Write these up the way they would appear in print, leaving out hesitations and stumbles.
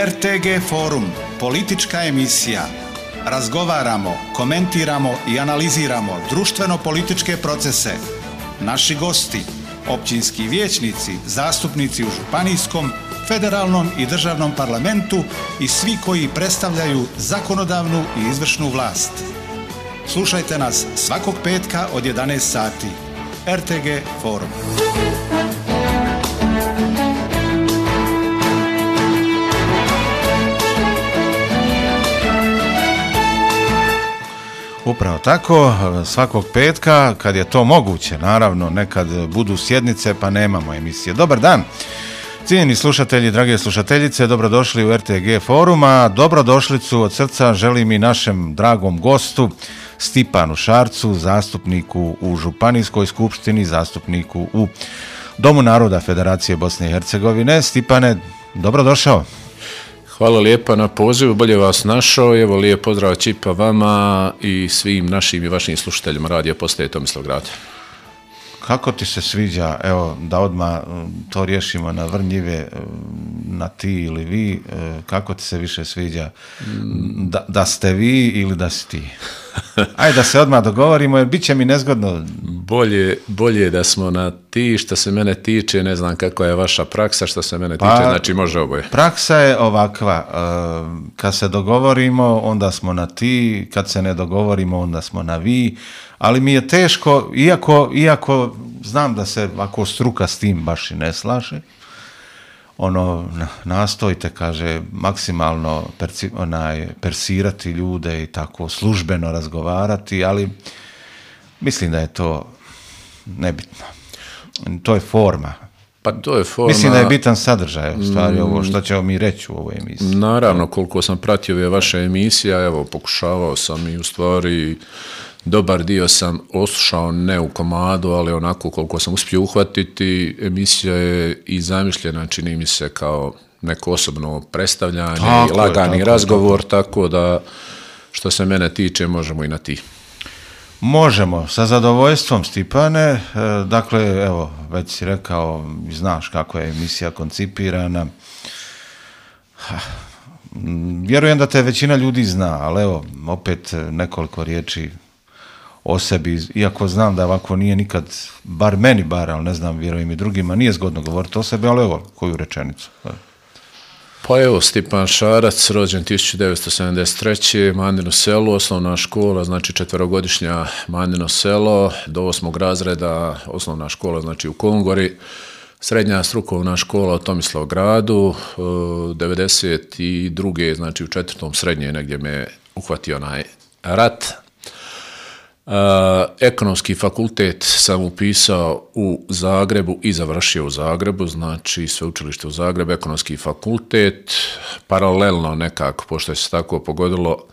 RTG Forum, politička emisija. Razgovaramo, komentiramo i analiziramo društveno-političke procese. Naši gosti, općinski vijećnici, zastupnici u županijskom, federalnom i državnom parlamentu i svi koji predstavljaju zakonodavnu i izvršnu vlast. Slušajte nas svakog petka od 11 sati. RTG Forum. Upravo tako, svakog petka, kad je to moguće, naravno, nekad budu sjednice pa nemamo emisije. Dobar dan, cijenjeni slušatelji, drage slušateljice, dobrodošli u RTG Foruma. Dobrodošlicu od srca želim i našem dragom gostu, Stipanu Šarcu, zastupniku u Županijskoj skupštini, zastupniku u Domu naroda Federacije Bosne i Hercegovine. Stipane, dobrodošao. Hvala lijepa na pozivu, bolje vas našao. Evo, lijep pozdrav Čipa vama i svim našim i vašim slušateljima radija postaje Tomislavgrad. Kako ti se sviđa, evo, da odmah to riješimo na vrnjive, na ti ili vi, kako ti se više sviđa, da ste vi ili da si ti? Ajde da se odmah dogovorimo, jer bit će mi nezgodno. Bolje da smo na ti. Što se mene tiče, ne znam kakva je vaša praksa, što se mene tiče, znači može oboje. Praksa je ovakva, kad se dogovorimo, onda smo na ti, kad se ne dogovorimo, onda smo na vi, ali mi je teško, iako znam da se ako struka s tim baš i ne slaže, nastojite, kaže, maksimalno persirati ljude i tako službeno razgovarati, ali mislim da je to nebitno. To je forma. Pa to je forma. Mislim da je bitan sadržaj, u stvari, ovo što ćemo mi reći u ovoj emisiji. Naravno, koliko sam pratio ove vaše emisije, evo, pokušavao sam i u stvari dobar dio sam oslušao, ne u komadu, ali onako koliko sam uspio uhvatiti. Emisija je i zamišljena, čini mi se, kao neko osobno predstavljanje i lagani razgovor, tako da što se mene tiče možemo i na ti. Možemo, sa zadovoljstvom, Stipane. Dakle, evo, već si rekao, znaš kako je emisija koncipirana. Vjerujem da te većina ljudi zna, ali evo, opet nekoliko riječi o sebi, iako znam da ovako nije nikad, bar meni ali ne znam, vjerujem i drugima, nije zgodno govoriti o sebi, ali evo, koju rečenicu. Pa evo, Stipan Šarac, rođen 1973. Mandino selo, osnovna škola, znači 4-godišnja Mandino selo, do 8. razreda osnovna škola, znači u Kongori, srednja strukovna škola u Tomislavgradu, 92. znači u 4. srednje negdje me uhvatio onaj rat. Ekonomski fakultet sam upisao u Zagrebu i završio u Zagrebu, znači sveučilište u Zagrebu, ekonomski fakultet, paralelno nekako, pošto je se tako pogodilo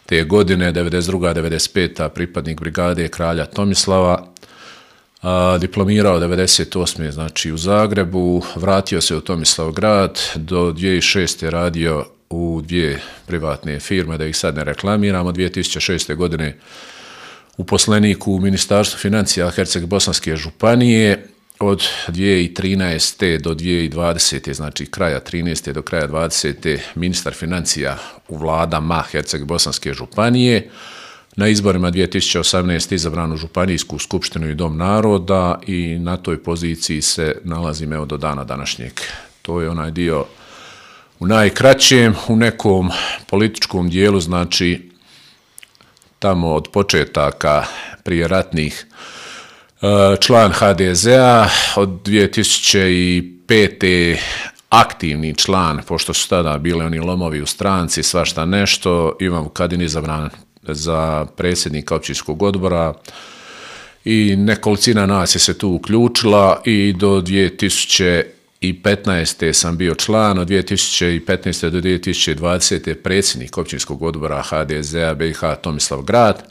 te godine, 92. 95. pripadnik brigade kralja Tomislava, diplomirao 98. znači u Zagrebu, vratio se u Tomislavgrad, do 2006. radio u 2 privatne firme, da ih sad ne reklamiramo, 2006. godine uposlenik u Ministarstvu financija Herceg-Bosanske županije, od 2013. do 2020. znači kraja 13. do kraja 20. ministar financija u vladama Herceg-Bosanske županije. Na izborima 2018. izabran u Županijsku skupštinu i Dom naroda i na toj poziciji se nalazim evo do dana današnjeg. To je onaj dio u najkraćem, u nekom političkom dijelu, znači tamo od početaka prije ratnih, član HDZ-a, od 2005. aktivni član, pošto su tada bile oni lomovi u stranci, svašta nešto. Ivan Vukadin izabran za predsjednika općinskog odbora i nekolicina nas je se tu uključila i do 2015. sam bio član, od 2015. do 2020. predsjednik općinskog odbora HDZ-a BiH Tomislavgrad.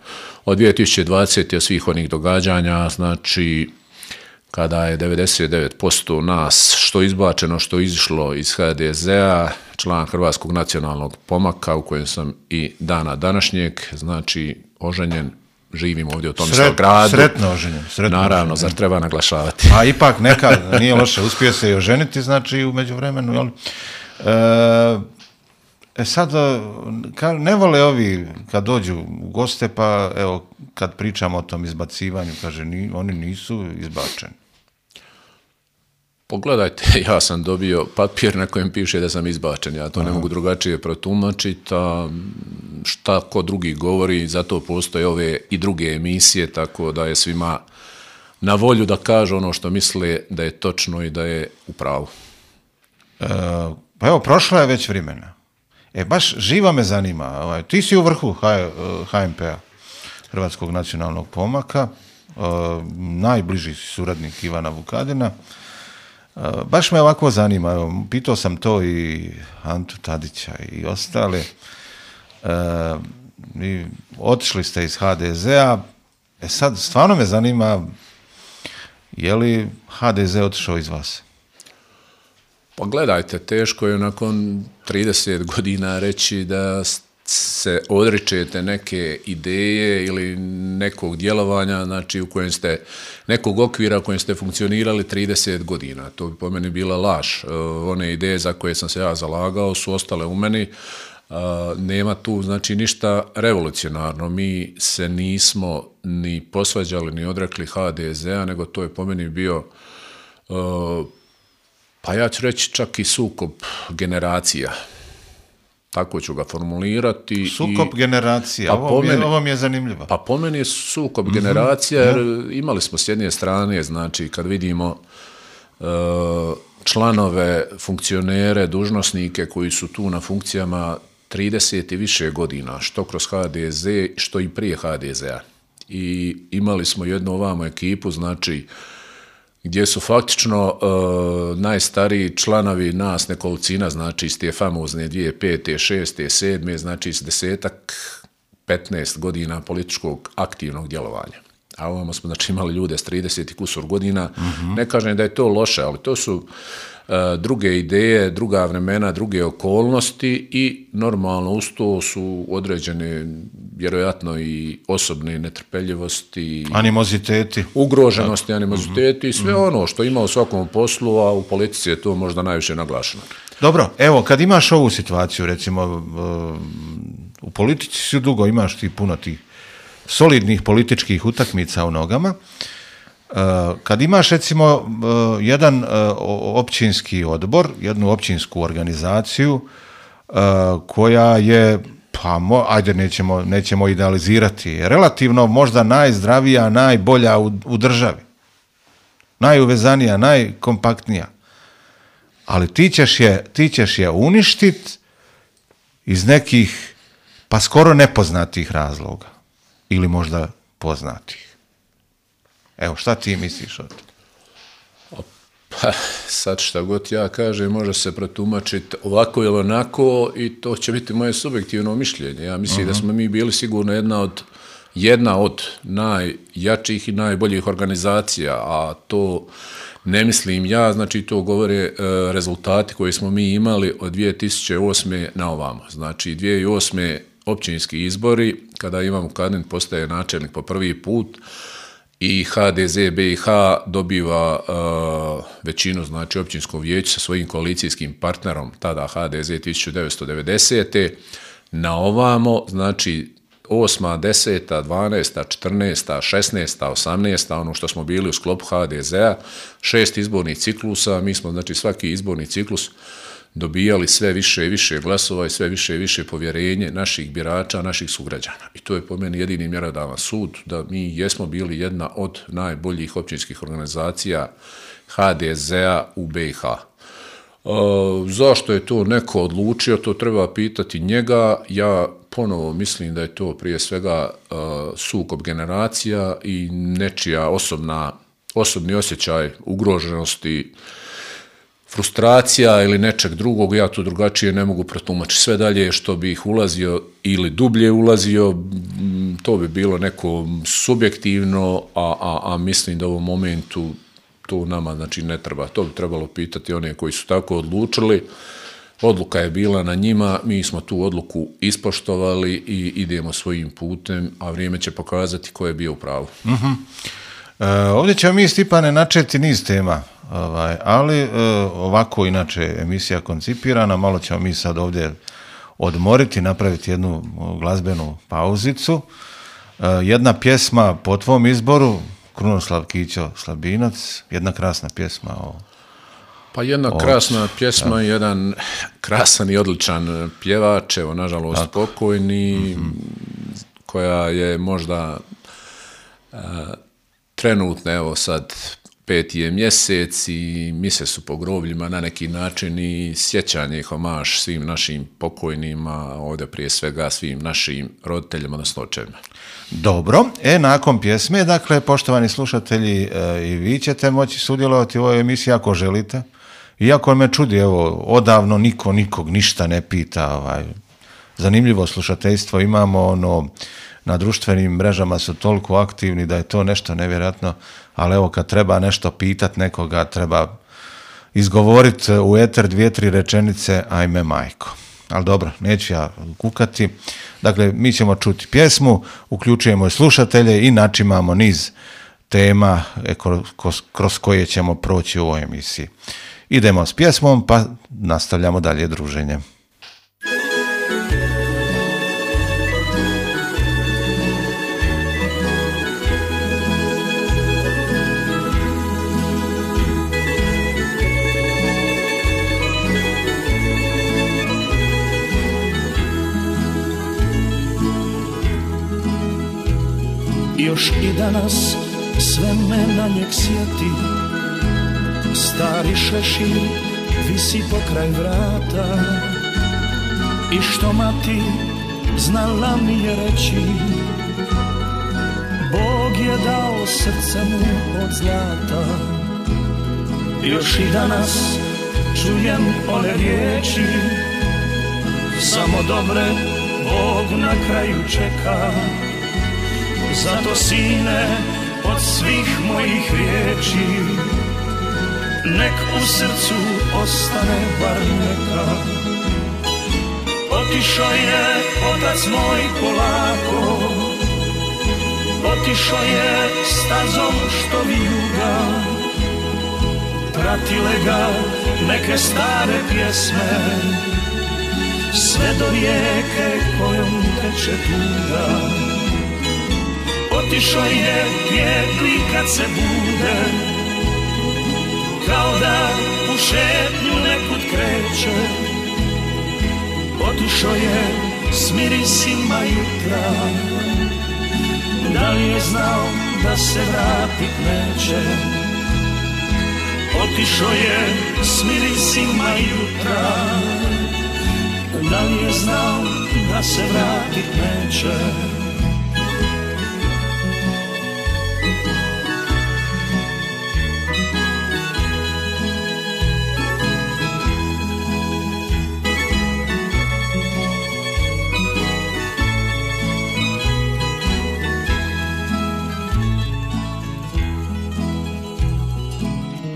Od 2020. od svih onih događanja, znači kada je 99% nas što izbačeno, što izišlo iz HDZ-a, član Hrvatskog nacionalnog pomaka u kojem sam i dana današnjeg, znači oženjen, živim ovdje u Tomislavgradu. Sretno oženjen. Naravno, zar treba naglašavati. A ipak neka, nije loše, uspio se i oženiti, znači u međuvremenu, jel? Sad, ne vole ovi kad dođu u goste, pa evo, kad pričamo o tom izbacivanju, kaže, oni nisu izbačeni. Pogledajte, ja sam dobio papir na kojem piše da sam izbačen, ja to ne mogu drugačije protumačiti, a šta ko drugi govori, zato postoje ove i druge emisije, tako da je svima na volju da kažu ono što misle da je točno i da je u pravu. Pa evo, prošlo je već vremena. Baš živa me zanima. Ti si u vrhu HNP-a, Hrvatskog nacionalnog pomaka, najbliži si suradnik Ivana Vukadina. Baš me ovako zanima. Evo, pitao sam to i Antu Tadića i ostale. Otišli ste iz HDZ-a. Sad stvarno me zanima, je li HDZ otišao iz vas? Pa gledajte, teško je nakon 30 godina reći da se odričete neke ideje ili nekog djelovanja, znači u kojem ste, nekog okvira u kojem ste funkcionirali 30 godina. To bi po meni bila laž. One ideje za koje sam se ja zalagao su ostale u meni. Nema tu znači ništa revolucionarno. Mi se nismo ni posvađali ni odrekli HDZ-a, nego to je po meni bio pa ja ću reći čak i sukob generacija. Tako ću ga formulirati. Sukob generacija, ovo mi je zanimljivo. Pa po meni je sukob generacija, jer imali smo s jedne strane, znači kad vidimo članove, funkcionere, dužnosnike koji su tu na funkcijama 30 i više godina, što kroz HDZ, što i prije HDZ-a. I imali smo jednu ovamo ekipu, znači gdje su faktično najstariji članovi nas nekolicina, znači iz te famozne 2005. 6. 7. znači iz 10-15 godina političkog aktivnog djelovanja. A ovamo smo znači imali ljude s 30 i kusur godina. Ne kažem da je to loše, ali to su druge ideje, druga vremena, druge okolnosti i normalno uz to su određene vjerojatno i osobne netrpeljivosti, animoziteti, ugroženosti, animoziteti i sve ono što ima u svakom poslu, a u politici je to možda najviše naglašeno. Dobro, evo, kad imaš ovu situaciju, recimo u politici si dugo, imaš ti puno tih solidnih političkih utakmica u nogama. Kad imaš recimo jedan općinski odbor, jednu općinsku organizaciju koja je, pa ajde nećemo idealizirati, ćemo možda najzdravija, najbolja u državi, najuvezanija, najkompaktnija, ali ti ćeš je uništiti iz nekih pa skoro nepoznatih razloga ili možda poznatih. Evo, šta ti misliš o to? Pa, sad šta god ja kažem, može se protumačiti ovako ili onako i to će biti moje subjektivno mišljenje. Ja mislim da smo mi bili sigurno jedna od najjačih i najboljih organizacija, a to ne mislim ja, znači to govore rezultati koje smo mi imali od 2008. na ovamo. Znači 2008. općinski izbori, kada Ivan Vukadin postaje načelnik po prvi put, i HDZ BiH dobiva većinu, znači općinsko vijeće sa svojim koalicijskim partnerom, tada HDZ 1990. Na ovamo, znači 8., 10., 12., 14., 16., 18., ono što smo bili u sklopu HDZ-a, 6 izbornih ciklusa, mi smo znači svaki izborni ciklus dobijali sve više i više glasova i sve više i više povjerenje naših birača, naših sugrađana. I to je po meni jedini mjerodavan sud da mi jesmo bili jedna od najboljih općinskih organizacija HDZ-a u BiH. Zašto je to neko odlučio, to treba pitati njega. Ja ponovo mislim da je to prije svega sukob generacija i nečija osobni osjećaj ugroženosti, frustracija ili nečeg drugog, ja to drugačije ne mogu protumačiti. Sve dalje što bi ih ulazio ili dublje ulazio, to bi bilo neko subjektivno, a mislim da u ovom momentu to nama znači ne treba. To bi trebalo pitati one koji su tako odlučili. Odluka je bila na njima, mi smo tu odluku ispoštovali i idemo svojim putem, a vrijeme će pokazati ko je bio u pravu. Ovdje ćemo mi, Stipane, načeti niz tema, ali ovako inače emisija koncipirana, malo ćemo mi sad ovdje odmoriti, napraviti jednu glazbenu pauzicu. Jedna pjesma po tvom izboru, Krunoslav Kićo Slabinac, jedna krasna pjesma Pa jedna krasna pjesma, jedan krasan i odličan pjevač, evo nažalost pokojni, koja je možda trenutno, evo sad 5. je mjesec i mise su po grobljima na neki način i sjećanje i homaž svim našim pokojnima, ovdje prije svega svim našim roditeljima, odnosno očevima. Dobro, nakon pjesme, dakle, poštovani slušatelji, i vi ćete moći sudjelovati u ovoj emisiji ako želite. Iako me čudi, evo, odavno niko nikog ništa ne pita, zanimljivo slušateljstvo imamo, na društvenim mrežama su toliko aktivni da je to nešto nevjerojatno, ali evo kad treba nešto pitat nekoga, treba izgovoriti u eter 2-3 rečenice, ajme majko. Ali dobro, neću ja kukati. Dakle, mi ćemo čuti pjesmu, uključujemo slušatelje i načimamo niz tema kroz koje ćemo proći u ovoj emisiji. Idemo s pjesmom, pa nastavljamo dalje druženje. Još i danas sve me na njeg sjeti, stari šešir visi pokraj vrata. I što mati znala mi je reći, Bog je dao srce mu od zlata. Još i danas čujem one riječi, samo dobre Bog na kraju čeka. Zato sine, od svih mojih riječi, nek u srcu ostane bar neka. Otišao je otac moj polako, otišao je stazom što vijuga. Pratile ga neke stare pjesme, sve do rijeke kojom teče tuga. Otišao je pjevli kad se bude, kao da u šetnju nekud kreće. Otišao je s mirisima jutra, da li je znao da se vratit neće. Otišao je s mirisima jutra, da li je znao da se vratit neće.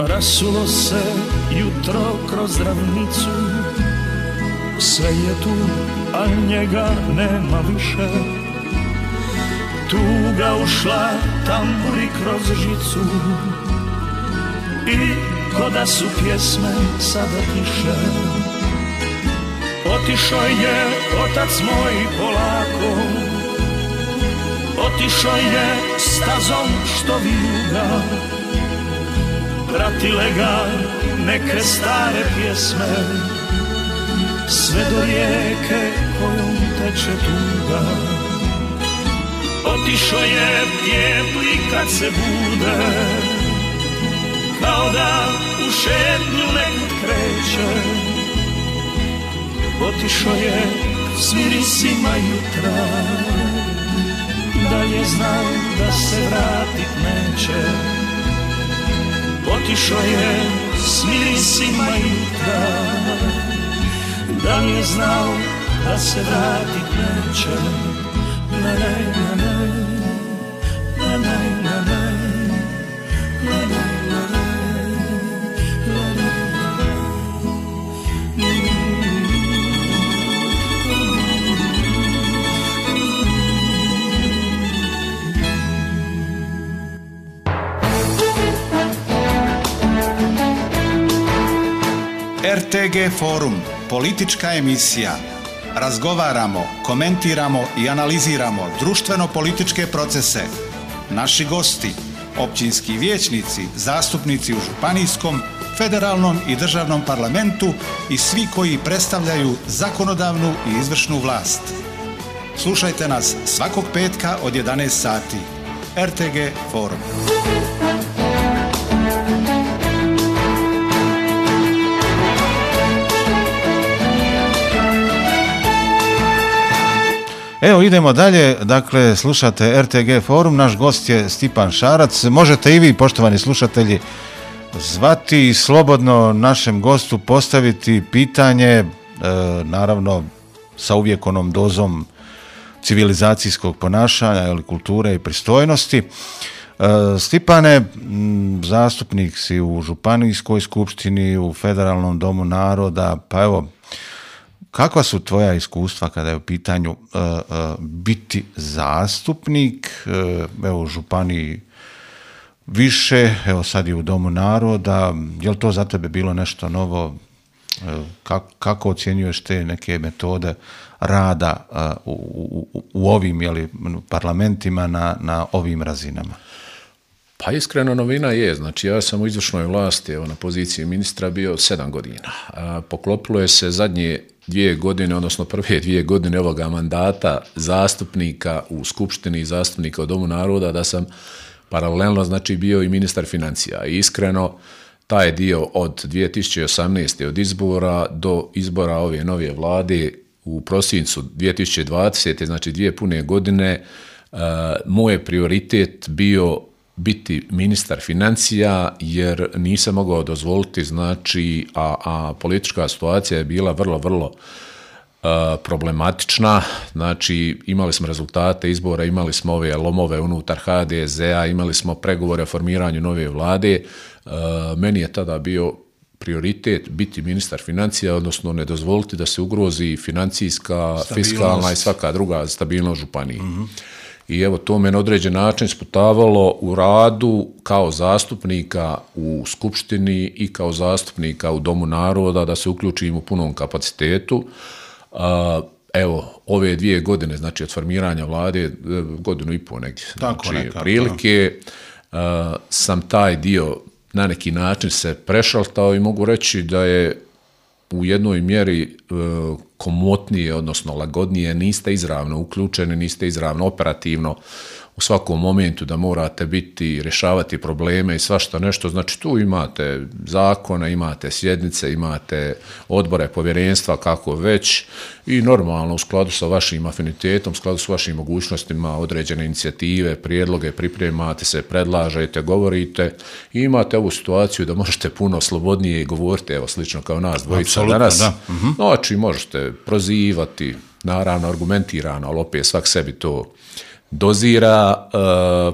Rasulo se jutro kroz ravnicu, sve je tu, a njega nema više. Tuga ušla tamburi kroz žicu i ko da su pjesme sada tiše. Otišao je otac moj polako, otišao je stazom što vijuga. Pratile ga neke stare pjesme, sve do rijeke kojom teče tuga. Otišao je pjevli kad se bude, kao da u šetnju nekud kreće. Otišao je s mirisima jutra, da je znao da se vratit neće. Otišao je s mirisima jutra, da li je znao da se vratit neće. Na naj, na naj, na naj, na naj, na naj, na naj, na naj. RTG Forum, politička emisija. razgovaramo, komentiramo i analiziramo društveno-političke procese. Naši gosti, općinski vijećnici, zastupnici u županijskom, federalnom i državnom parlamentu i svi koji predstavljaju zakonodavnu i izvršnu vlast. Slušajte nas svakog petka od 11 sati. RTG Forum. Evo idemo dalje, dakle slušate RTG Forum, naš gost je Stipan Šarac. Možete i vi, poštovani slušatelji, zvati i slobodno našem gostu postaviti pitanje, naravno sa uvijek onom dozom civilizacijskog ponašanja ili kulture i pristojnosti. Stipane, zastupnik si u Županijskoj skupštini, u Federalnom domu naroda, pa evo, kakva su tvoja iskustva kada je u pitanju biti zastupnik, evo u Županiji više, evo sad i u Domu naroda, je li to za tebe bilo nešto novo? Kako ocjenjuješ te neke metode rada u ovim parlamentima na ovim razinama? Pa iskreno novina je, znači ja sam u izvršnoj vlasti na poziciji ministra bio 7 godina. Poklopilo je se zadnje 2 godine, odnosno prve 2 godine ovoga mandata zastupnika u Skupštini i zastupnika u Domu naroda da sam paralelno znači bio i ministar financija. I iskreno taj dio od 2018. od izbora do izbora ove nove vlade u prosincu 2020. znači 2 pune godine, moj je prioritet bio biti ministar financija jer nisam mogao dozvoliti, znači, a politička situacija je bila vrlo problematična, znači imali smo rezultate izbora, imali smo ove lomove unutar HDZ-a, imali smo pregovore o formiranju nove vlade, meni je tada bio prioritet biti ministar financija, odnosno ne dozvoliti da se ugrozi financijska, fiskalna i svaka druga stabilnost županije. I evo to me na određen način sputavalo u radu kao zastupnika u Skupštini i kao zastupnika u Domu naroda da se uključim u punom kapacitetu. Evo, ove 2 godine, znači od formiranja vlade, 1,5 godinu negdje, znači prilike, sam taj dio na neki način se prešaltao i mogu reći da je u jednoj mjeri komotnije, odnosno lagodnije, niste izravno uključeni, niste izravno operativno u svakom momentu da morate biti, rješavati probleme i svašta nešto. Znači tu imate zakone, imate sjednice, imate odbore, povjerenstva, kako već i normalno u skladu sa vašim afinitetom, u skladu sa vašim mogućnostima određene inicijative, prijedloge, pripremate se, predlažete, govorite i imate ovu situaciju da možete puno slobodnije govoriti, evo slično kao nas dvojica danas. Da. Znači možete prozivati, naravno argumentirano, ali opet svak sebi to dozira,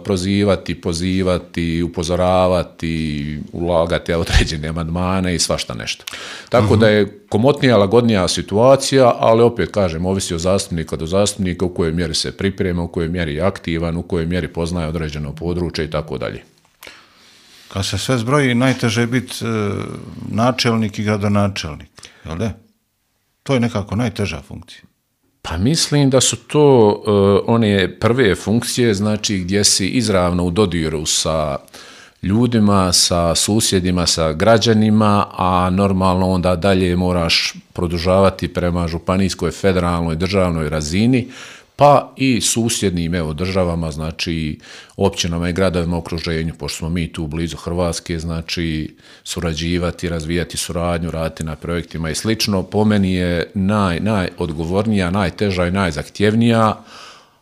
prozivati, pozivati, upozoravati, ulagati određene amandmane i svašta nešto. Tako da je komotnija, lagodnija situacija, ali opet kažem, ovisi od zastupnika do zastupnika u kojoj mjeri se priprema, u kojoj mjeri je aktivan, u kojoj mjeri poznaje određeno područje i tako dalje. Kad se sve zbroji, najteže je biti načelnik i gradonačelnik, jel da? To je nekako najteža funkcija. Pa mislim da su to one prve funkcije, znači gdje si izravno u dodiru sa ljudima, sa susjedima, sa građanima, a normalno onda dalje moraš produžavati prema županijskoj, federalnoj, državnoj razini, pa i susjednim državama, znači općinama i gradovima u okruženju, pošto smo mi tu blizu Hrvatske, znači surađivati, razvijati suradnju, raditi na projektima i slično. Po meni je najodgovornija, najteža i najzahtjevnija,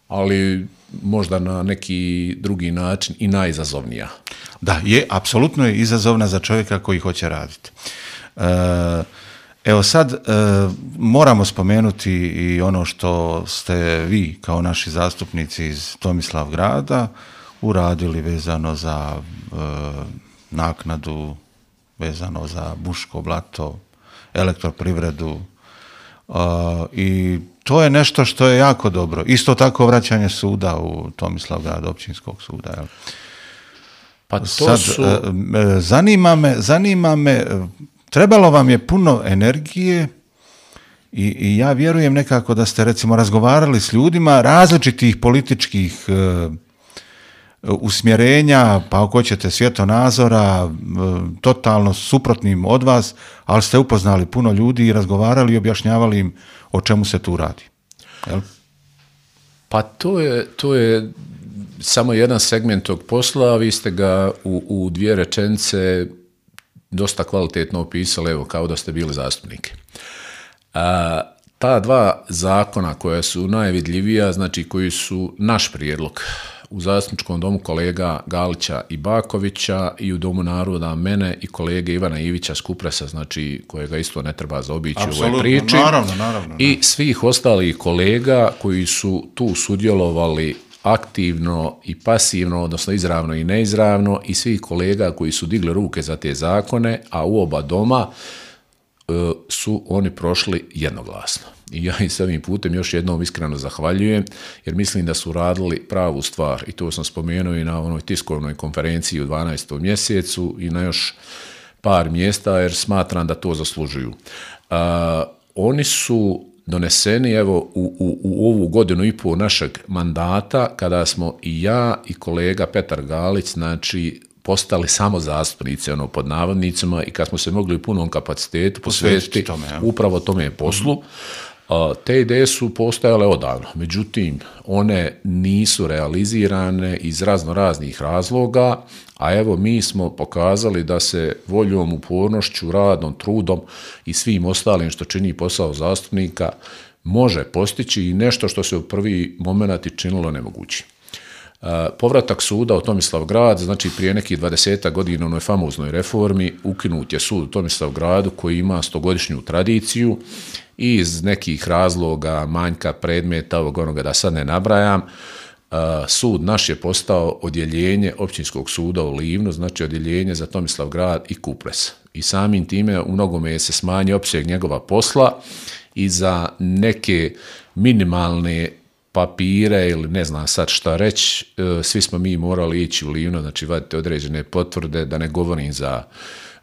ali možda na neki drugi način i najizazovnija. Da, apsolutno je izazovna za čovjeka koji hoće raditi. Evo sad moramo spomenuti i ono što ste vi kao naši zastupnici iz Tomislavgrada uradili vezano za naknadu, vezano za Buško blato, elektroprivredu i to je nešto što je jako dobro. Isto tako vraćanje suda u Tomislavgrad, općinskog suda. Jel? Pa to sad, su... zanima me, trebalo vam je puno energije I ja vjerujem nekako da ste recimo razgovarali s ljudima različitih političkih usmjerenja, pa ako ćete svjetonazora, totalno suprotnim od vas, ali ste upoznali puno ljudi i razgovarali i objašnjavali im o čemu se tu radi. Jel? Pa to je samo jedan segment tog posla, vi ste ga u 2 rečenice dosta kvalitetno opisali, evo, kao da ste bili zastupnik. Ta 2 zakona koja su najvidljivija, znači koji su naš prijedlog u zastupničkom domu kolega Galića i Bakovića i u Domu naroda mene i kolege Ivana Ivića s Kupresa, znači kojega isto ne treba zaobići u ovoj priči. Naravno. I svih ostalih kolega koji su tu sudjelovali aktivno i pasivno, odnosno izravno i neizravno, i svih kolega koji su digli ruke za te zakone, a u oba doma su oni prošli jednoglasno. I ja im s ovim putem još jednom iskreno zahvaljujem, jer mislim da su radili pravu stvar. I to sam spomenuo i na onoj tiskovnoj konferenciji u 12. mjesecu i na još par mjesta, jer smatram da to zaslužuju. Oni su doneseni evo u ovu 1,5 godinu našeg mandata, kada smo i ja i kolega Petar Galić, znači, postali samo zastupnici, pod navodnicima, i kad smo se mogli u punom kapacitetu posvetiti upravo tome poslu. Te ideje su postojale odavno, međutim, one nisu realizirane iz raznih razloga, a evo mi smo pokazali da se voljom, upornošću, radom, trudom i svim ostalim što čini posao zastupnika može postići i nešto što se u prvi moment činilo nemoguće. Povratak suda u Tomislavgrad, znači prije nekih 20 godina u onoj famoznoj reformi, ukinut je sud u Tomislavgradu koji ima 100-godišnju tradiciju i iz nekih razloga, manjka predmeta, onoga da sad ne nabrajam, sud naš je postao odjeljenje općinskog suda u Livnu, znači odjeljenje za Tomislavgrad i Kupres. I samim time u mnogome se smanjio opseg njegova posla i za neke minimalne papire ili ne znam sad šta reći, svi smo mi morali ići u Livno, znači vadite određene potvrde, da ne govorim za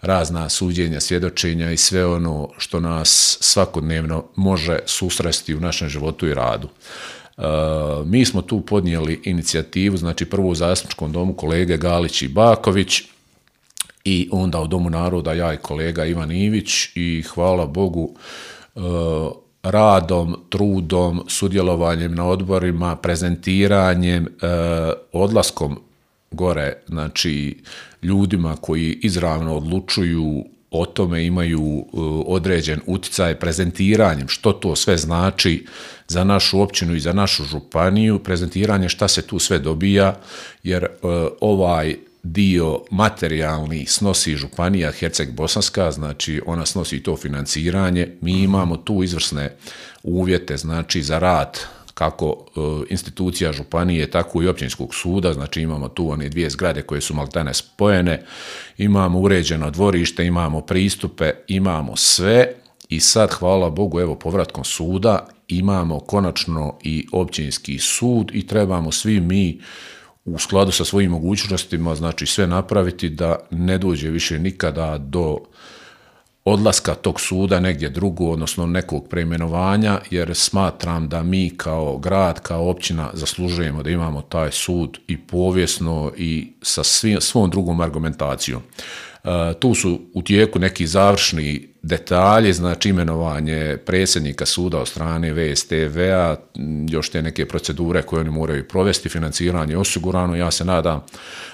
razna suđenja, svjedočenja i sve ono što nas svakodnevno može susresti u našem životu i radu. Mi smo tu podnijeli inicijativu, znači prvo u zastupničkom domu kolege Galić i Baković i onda u Domu naroda ja i kolega Ivan Ivić, i hvala Bogu radom, trudom, sudjelovanjem na odborima, prezentiranjem, odlaskom gore, znači ljudima koji izravno odlučuju o tome, imaju određen utjecaj, prezentiranjem što to sve znači za našu općinu i za našu županiju, prezentiranje šta se tu sve dobija, jer ovaj dio materijalni snosi županija Herceg-Bosanska, znači ona snosi to financiranje. Mi imamo tu izvrsne uvjete, znači za rad kako institucija županije, tako i općinskog suda, znači imamo tu one 2 zgrade koje su maltene spojene, imamo uređeno dvorište, imamo pristupe, imamo sve, i sad, hvala Bogu, evo povratkom suda imamo konačno i općinski sud i trebamo svi mi u skladu sa svojim mogućnostima, znači sve napraviti da ne dođe više nikada do odlaska tog suda negdje drugo, odnosno nekog preimenovanja, jer smatram da mi kao grad, kao općina zaslužujemo da imamo taj sud i povijesno i sa svom drugom argumentacijom. Tu su u tijeku neki završni detalji, znači imenovanje predsjednika suda od strane VSTV-a, još te neke procedure koje oni moraju provesti, financiranje osigurano. Ja se nadam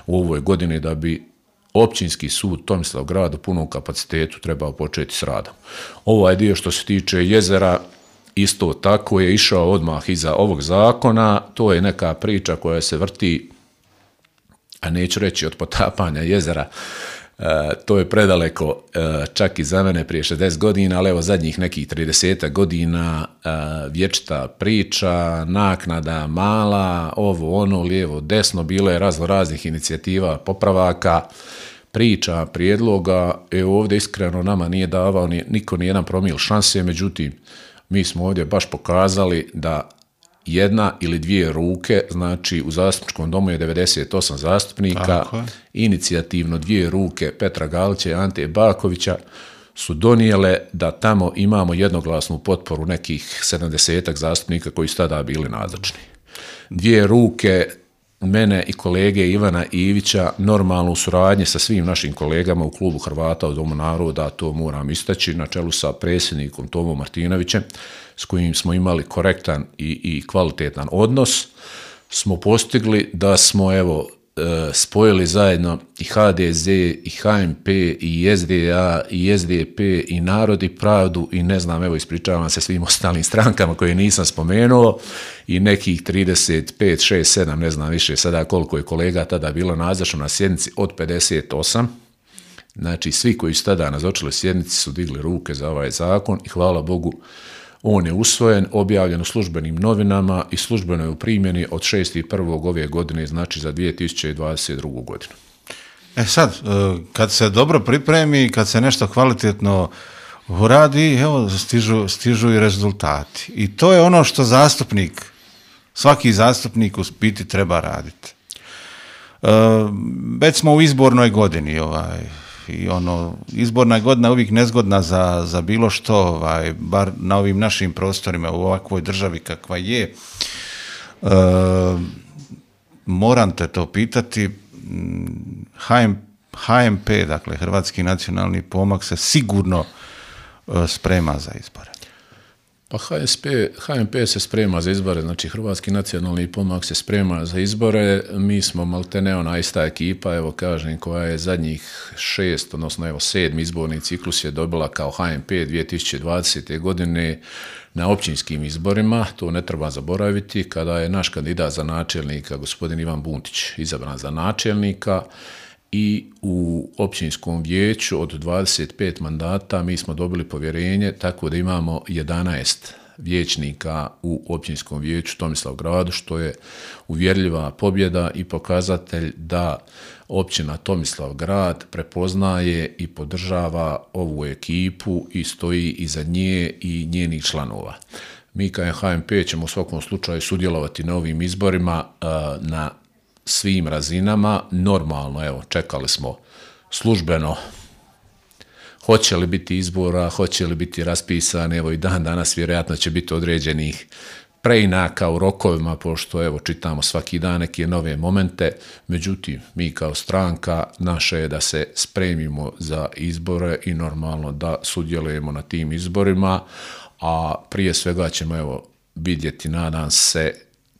u ovoj godini da bi općinski sud Tomislavgrad u punom kapacitetu trebao početi s radom. Ovaj dio što se tiče jezera isto tako je išao odmah iza ovog zakona, to je neka priča koja se vrti, a neću reći od potapanja jezera, to je predaleko čak i za mene prije 60 godina, ali evo zadnjih nekih 30 godina vječita priča, naknada mala, ovo ono, lijevo, desno, bilo je raznih inicijativa, popravaka, priča, prijedloga. Ovdje iskreno nama nije davao niko ni jedan promil šanse, međutim mi smo ovdje baš pokazali da 1 ili 2 ruke, znači u zastupničkom domu je 98 zastupnika, inicijativno 2 ruke Petra Galića i Ante Bakovića su donijele da tamo imamo jednoglasnu potporu nekih 70-ak zastupnika koji su tada bili nazočni. Dvije ruke mene i kolege Ivana Ivića normalno u suradnji sa svim našim kolegama u klubu Hrvata u Domu naroda, to moram istaći, na čelu sa predsjednikom Tomom Martinovićem, s kojim smo imali korektan i kvalitetan odnos, smo postigli da smo spojili zajedno i HDZ, i HMP, i SDA, i SDP, i Narod i Pravdu, i ne znam, ispričavam se svim ostalim strankama koje nisam spomenuo, i nekih 35, 6, 7, ne znam više sada koliko je kolega tada bilo nazočno na sjednici, od 58. Znači, svi koji su tada nazočili sjednici su digli ruke za ovaj zakon i hvala Bogu, on je usvojen, objavljen u službenim novinama i službeno je u primjeni od 6.1. ove godine, znači za 2022. godinu. Sad, kad se dobro pripremi, kad se nešto kvalitetno uradi, evo, stižu i rezultati. I to je ono što svaki zastupnik u biti treba raditi. Već smo u izbornoj godini, i izborna godina je uvijek nezgodna za bilo što, bar na ovim našim prostorima, u ovakvoj državi kakva je. Moram te to pitati, HMP, dakle Hrvatski nacionalni pomak, se sigurno sprema za izbore. Pa HMP se sprema za izbore, znači Hrvatski nacionalni pomak se sprema za izbore, mi smo maltene ona ista ekipa, kažem, koja je zadnjih 6, odnosno 7. izborni ciklus je dobila kao HMP 2020. godine na općinskim izborima, to ne treba zaboraviti, kada je naš kandidat za načelnika, gospodin Ivan Buntić, izabran za načelnika, i u općinskom vijeću od 25 mandata mi smo dobili povjerenje, tako da imamo 11 vijećnika u općinskom vijeću Tomislavgradu, što je uvjerljiva pobjeda i pokazatelj da općina Tomislavgrad prepoznaje i podržava ovu ekipu i stoji iza nje i njenih članova. Mi kao HMP ćemo u svakom slučaju sudjelovati na ovim izborima na svim razinama. Normalno, čekali smo službeno hoće li biti izbora, hoće li biti raspisane, i dan danas vjerojatno će biti određenih preinaka u rokovima, pošto čitamo svaki dan neke nove momente, međutim mi kao stranka naše je da se spremimo za izbore i normalno da sudjelujemo na tim izborima, a prije svega ćemo vidjeti, nadam se,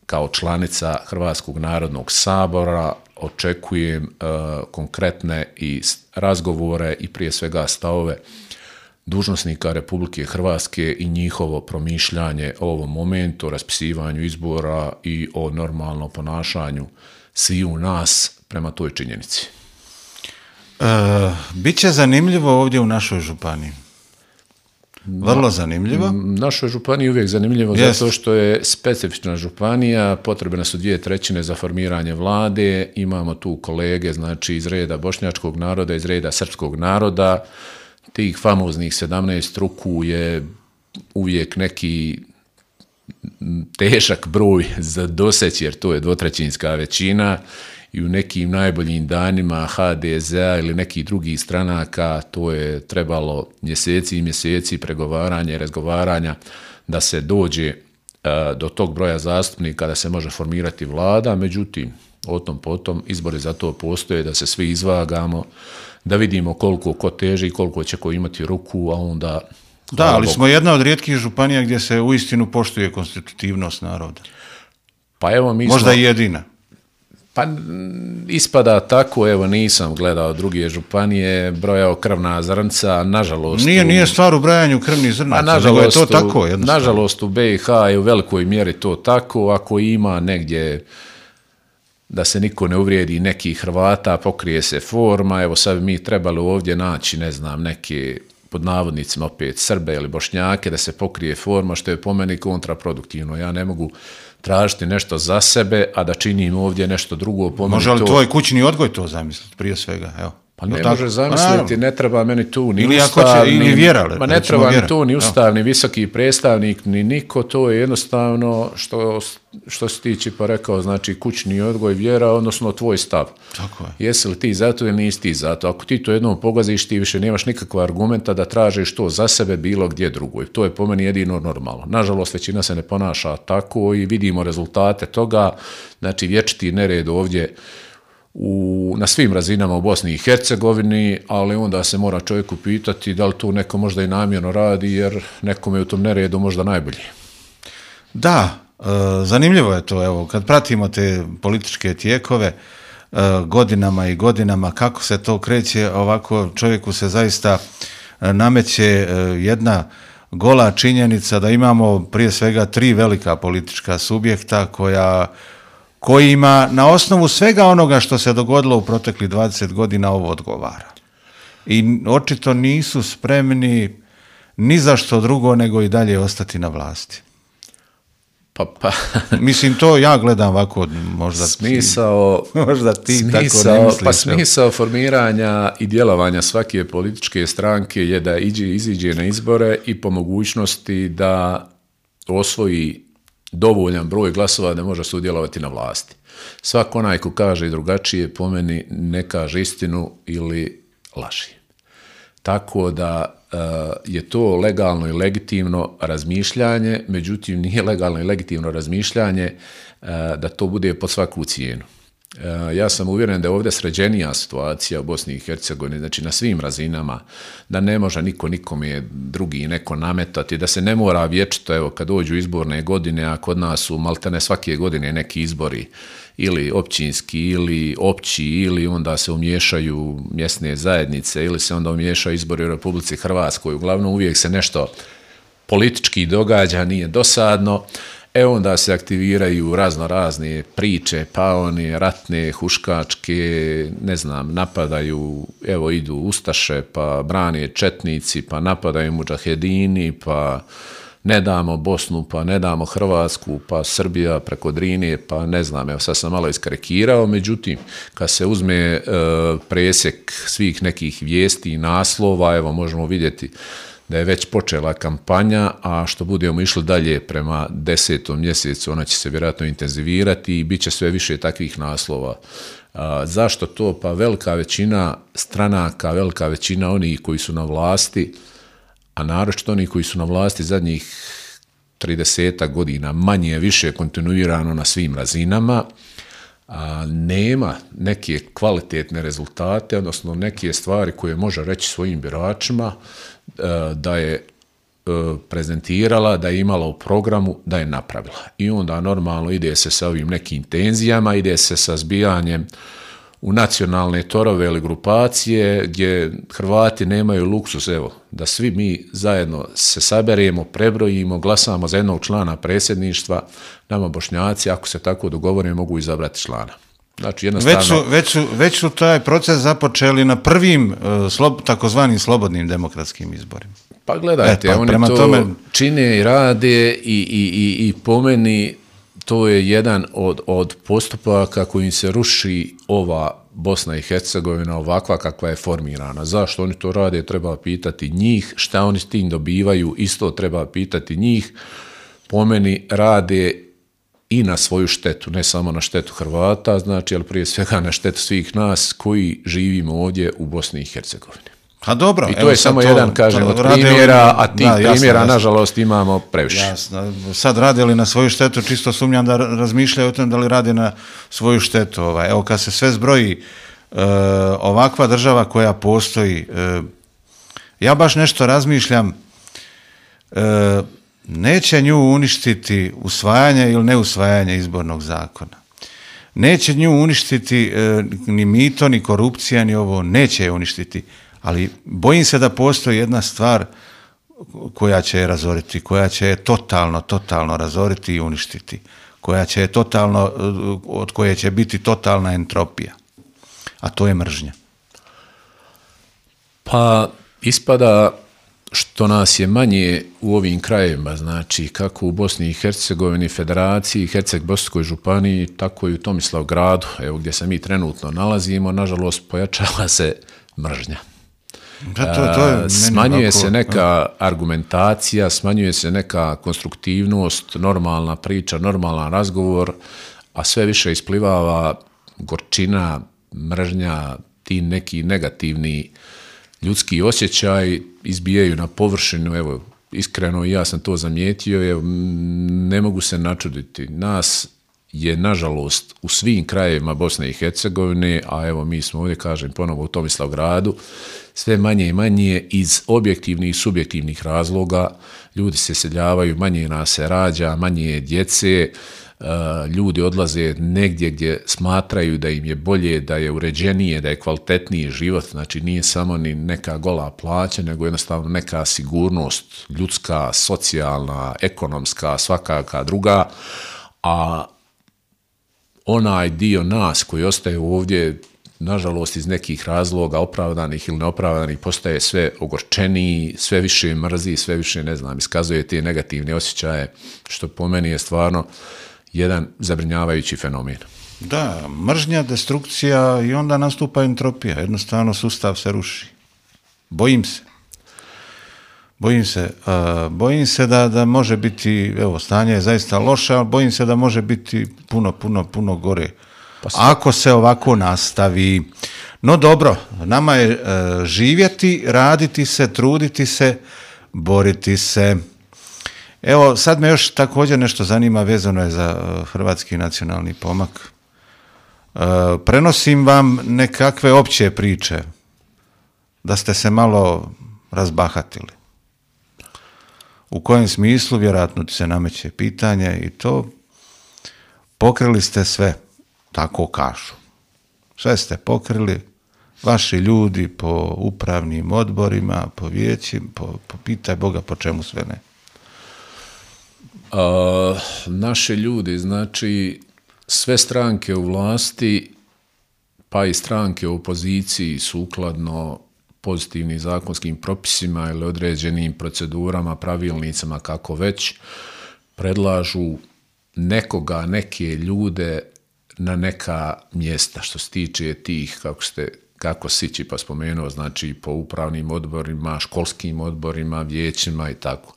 kao članica Hrvatskog narodnog sabora očekujem konkretne i razgovore i prije svega stavove dužnosnika Republike Hrvatske i njihovo promišljanje o ovom momentu, o raspisivanju izbora i o normalnom ponašanju sviju nas prema toj činjenici. Biće zanimljivo ovdje u našoj županiji. Vrlo zanimljivo. Našoj županiji je uvijek zanimljivo zato što je specifična županija, potrebne su 2/3 za formiranje vlade, imamo tu kolege, znači iz reda bošnjačkog naroda, iz reda srpskog naroda, tih famoznih 17 ruku je uvijek neki težak broj za doseći, jer to je 2/3 većina, i u nekim najboljim danima HDZ-a ili nekih drugih stranaka to je trebalo mjeseci i mjeseci pregovaranja i razgovaranja da se dođe do tog broja zastupnika da se može formirati vlada, međutim, o tom potom izbori za to postoje, da se svi izvagamo, da vidimo koliko ko teži, koliko će ko imati ruku, a onda... Da, ali smo jedna od rijetkih županija gdje se uistinu poštuje konstitutivnost naroda. Pa evo mi možda i jedina. Pa ispada tako, nisam gledao druge županije, brojao krvna zrnca, nažalost... Nije stvar u brojanju krvnih zrnaca, nego je to tako jednostavno. Nažalost u BiH je u velikoj mjeri to tako, ako ima negdje da se niko ne uvrijedi nekih Hrvata, pokrije se forma, sad bi mi trebali ovdje naći, ne znam, neke pod navodnicima opet Srbe ili Bošnjake, da se pokrije forma, što je po meni kontraproduktivno. Ja ne mogu tražiti nešto za sebe, a da činim ovdje nešto drugo. Može li tvoj kućni odgoj to zamisliti prije svega? Evo. Pa ne možeš zamisliti, ne treba meni tu ni ili ustav, ili vjera, ma ne treba mi tu ni ustav, ni visoki predstavnik, ni niko, to je jednostavno što se tiče pa rekao, znači kućni odgoj, vjera, odnosno tvoj stav. Tako je. Jesi li ti zato ili nisi ti zato? Ako ti to jednom pogaziš, ti više nemaš nikakva argumenta da tražiš to za sebe bilo gdje drugo. I to je po meni jedino normalno. Nažalost, većina se ne ponaša tako i vidimo rezultate toga. Znači, vječiti nered ovdje na svim razinama u Bosni i Hercegovini, ali onda se mora čovjeku pitati da li to neko možda i namjerno radi, jer nekome je u tom neredu možda najbolje. Da, zanimljivo je to, evo, kad pratimo te političke tijekove godinama i godinama, kako se to kreće, ovako čovjeku se zaista nameće jedna gola činjenica da imamo prije svega 3 velika politička subjekta kojima na osnovu svega onoga što se dogodilo u proteklih 20 godina ovo odgovara. I očito nisu spremni ni za što drugo nego i dalje ostati na vlasti. Pa. Mislim, to ja gledam ovako, možda možda ti tako ne misliš. Pa smisao formiranja i djelovanja svake političke stranke je da iziđe na izbore i po mogućnosti da osvoji dovoljan broj glasova da može sudjelovati na vlasti. Svako onaj ko kaže drugačije, po meni ne kaže istinu ili laži. Tako da je to legalno i legitimno razmišljanje, međutim nije legalno i legitimno razmišljanje da to bude pod svaku cijenu. Ja sam uvjeren da je ovdje sređenija situacija u Bosni i Hercegovini, znači na svim razinama, da ne može niko nikome drugi neko nametati, da se ne mora vječito, evo kad dođu izborne godine, a kod nas su maltene svake godine neki izbori, ili općinski, ili opći, ili onda se umiješaju mjesne zajednice, ili se onda umiješaju izbori u Republici Hrvatskoj. Uglavnom uvijek se nešto politički događa, nije dosadno. Onda se aktiviraju razne priče, pa one ratne, huškačke, ne znam, napadaju, evo idu ustaše, pa brane četnici, pa napadaju mudžahedini, pa ne damo Bosnu, pa ne damo Hrvatsku, pa Srbija preko Drine, pa ne znam, evo sad sam malo iskarikirao, međutim, kad se uzme presjek svih nekih vijesti i naslova, evo možemo vidjeti da je već počela kampanja, a što budemo išli dalje prema 10. mjesecu, ona će se vjerojatno intenzivirati i bit će sve više takvih naslova. Zašto to? Pa velika većina stranaka, velika većina onih koji su na vlasti, a naročito oni koji su na vlasti zadnjih 30 godina, manje više kontinuirano na svim razinama, nema neke kvalitetne rezultate, odnosno neke stvari koje može reći svojim biračima da je prezentirala, da je imala u programu, da je napravila. I onda normalno ide se sa ovim nekim tenzijama, ide se sa zbijanjem u nacionalne torove ili grupacije gdje Hrvati nemaju luksus, evo, da svi mi zajedno se saberemo, prebrojimo, glasamo za jednog člana predsjedništva, nama Bošnjaci, ako se tako dogovore, mogu izabrati člana. Znači, jednostavno... Već su taj proces započeli na prvim takozvanim slobodnim demokratskim izborima. Pa gledajte, oni to tome... čine i rade i po meni to je jedan od postupaka kojim se ruši ova Bosna i Hercegovina ovakva kakva je formirana. Zašto oni to rade, treba pitati njih, šta oni s tim dobivaju, isto treba pitati njih. Po meni rade i na svoju štetu, ne samo na štetu Hrvata, znači, ali prije svega na štetu svih nas koji živimo ovdje u Bosni i Hercegovini. A dobro, i to je samo jedan, kažem, od primjera, a tih primjera, nažalost, imamo previše. Jasno. Sad rade li na svoju štetu, čisto sumnjam da razmišljaju o tom da li rade na svoju štetu. Evo, kad se sve zbroji, ovakva država koja postoji, ja baš nešto razmišljam, neće nju uništiti usvajanje ili neusvajanje izbornog zakona. Neće nju uništiti ni mito, ni korupcija, ni ovo, neće je uništiti. Ali bojim se da postoji jedna stvar koja će je razoriti, koja će je totalno razoriti i uništiti, koja će je od koje će biti totalna entropija, a to je mržnja. Pa ispada što nas je manje u ovim krajevima, znači kako u Bosni i Hercegovini, Federaciji, Herceg-Bosanskoj županiji, tako i u Tomislavgradu, evo gdje se mi trenutno nalazimo, nažalost pojačava se mržnja. To Smanjuje se neka argumentacija, smanjuje se neka konstruktivnost, normalna priča, normalan razgovor, a sve više isplivava gorčina, mržnja, ti neki negativni ljudski osjećaj izbijaju na površinu. Evo, iskreno ja sam to zamijetio, evo, ne mogu se načuditi. Nas je, nažalost, u svim krajevima Bosne i Hercegovine, a evo mi smo ovdje, kažem ponovo, u Tomislavgradu, sve manje i manje iz objektivnih i subjektivnih razloga. Ljudi se seljavaju, manje nas se rađa, manje je djece, ljudi odlaze negdje gdje smatraju da im je bolje, da je uređenije, da je kvalitetniji život, znači nije samo ni neka gola plaća, nego jednostavno neka sigurnost ljudska, socijalna, ekonomska, svakaka druga, a onaj dio nas koji ostaje ovdje, nažalost iz nekih razloga, opravdanih ili neopravdanih, postaje sve ogorčeniji, sve više mrzi, sve više, ne znam, iskazuje te negativne osjećaje, što po meni je stvarno jedan zabrinjavajući fenomen. Da, mržnja, destrukcija i onda nastupa entropija. Jednostavno sustav se ruši. Bojim se da može biti, evo, stanje je zaista loše, ali bojim se da može biti puno gore. Ako se ovako nastavi. No dobro, nama je živjeti, raditi se, truditi se, boriti se. Evo, sad me još također nešto zanima, vezano je za Hrvatski nacionalni pomak. Prenosim vam nekakve opće priče, da ste se malo razbahatili. U kojem smislu, vjerojatno ti se nameće pitanje i to, pokrili ste sve, tako kažu. Sve ste pokrili, vaši ljudi po upravnim odborima, po vijećima, po pitaj Boga po čemu sve ne. Naši ljudi, znači sve stranke u vlasti, pa i stranke u opoziciji, sukladno pozitivnim zakonskim propisima ili određenim procedurama, pravilnicama, kako već, predlažu nekoga, neke ljude na neka mjesta, što se tiče tih, kako Sići pa spomenuo, znači po upravnim odborima, školskim odborima, vijećima i tako.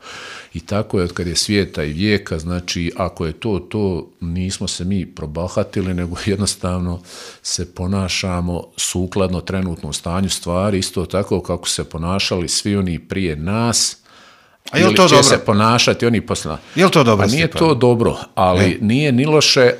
I tako je od kad je svijeta i vijeka, znači ako je to nismo se mi probahatili, nego jednostavno se ponašamo sukladno trenutnom stanju stvari, isto tako kako se ponašali svi oni prije nas, ili će dobro se ponašati oni poslije. Je li to dobro? Nije to dobro, ali nije ni loše,